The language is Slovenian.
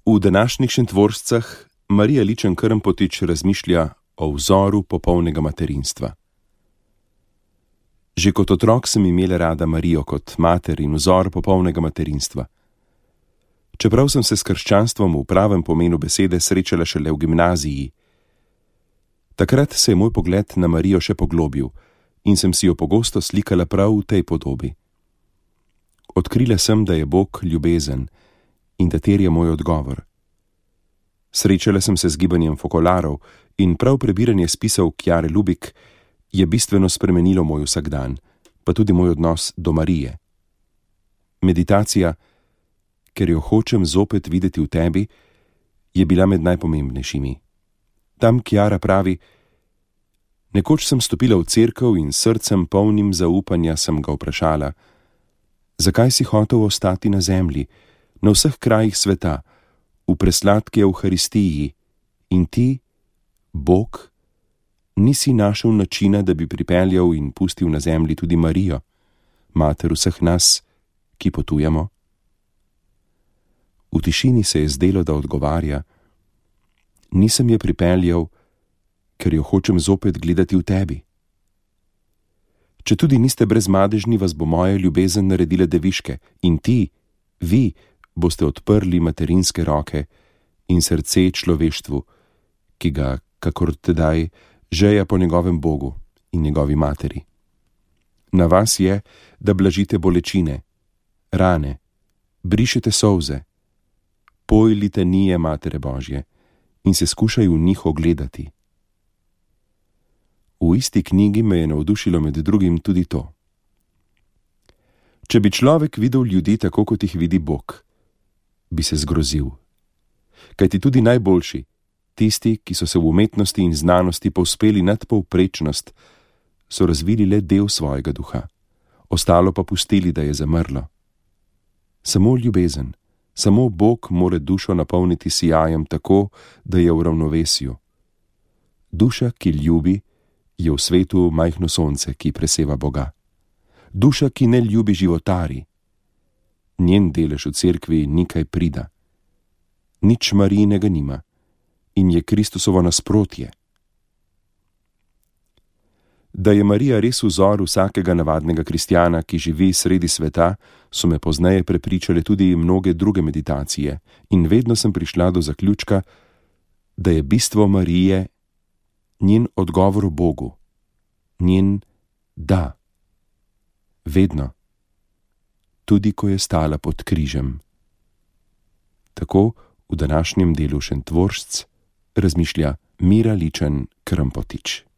V današnjih Šentvoržcah Marija Ličen Krmpotič razmišlja o vzoru popolnega materinstva. Že kot otrok sem imela rada Marijo kot mater in vzor popolnega materinstva. Čeprav sem se s krščanstvom v pravem pomenu besede srečala šele v gimnaziji. Takrat se je moj pogled na Marijo še poglobil in sem si jo pogosto slikala prav v tej podobi. Odkrila sem, da je Bog ljubezen in da terja moj odgovor. Srečala sem se z gibanjem fokolarov in prav prebiranje spisov Kjare Lubik je bistveno spremenilo moj vsakdan, pa tudi moj odnos do Marije. Meditacija, ker jo hočem zopet videti v tebi, je bila med najpomembnejšimi. Tam Kjara pravi: nekoč sem stopila v cerkev in srcem polnim zaupanja sem ga vprašala: zakaj si hotel ostati na zemlji, na vseh krajih sveta, v presladki Evharistiji, in ti, Bog, nisi našel načina, da bi pripeljal in pustil na zemlji tudi Marijo, mater vseh nas, ki potujemo? V tišini se je zdelo, da odgovarja: nisem je pripeljal, ker jo hočem zopet gledati v tebi. Če tudi niste brezmadežni, vas bo moja ljubezen naredila deviške in ti, vi, boste odprli materinske roke in srce človeštvu, ki ga, kakor tedaj, žeja po njegovem Bogu in njegovi materi. Na vas je, da blažite bolečine, rane, brišete solze, poj litanije Matere Božje in se skušaj v njih ogledati. V isti knjigi me je navdušilo med drugim tudi to. Če bi človek videl ljudi tako, kot jih vidi Bog, bi se zgrozil. Kajti tudi najboljši, tisti, ki so se v umetnosti in znanosti povzpeli nad povprečnost, so razvili le del svojega duha, ostalo pa pustili, da je zamrlo. Samo ljubezen, samo Bog more dušo napolniti sijajem tako, da je v ravnovesju. Duša, ki ljubi, je v svetu majhno sonce, ki preseva Boga. Duša, ki ne ljubi, životari. Njen delež v cerkvi ni kaj prida. Nič Marijinega nima in je Kristusovo nasprotje. Da je Marija res vzor vsakega navadnega kristjana, ki živi sredi sveta, so me pozneje prepričale tudi mnoge druge meditacije in vedno sem prišla do zaključka, da je bistvo Marije njen odgovor Bogu, njen da. Vedno. Tudi ko je stala pod križem. Tako v današnjem delu Šentvoržc razmišlja Mira Ličen Krmpotič.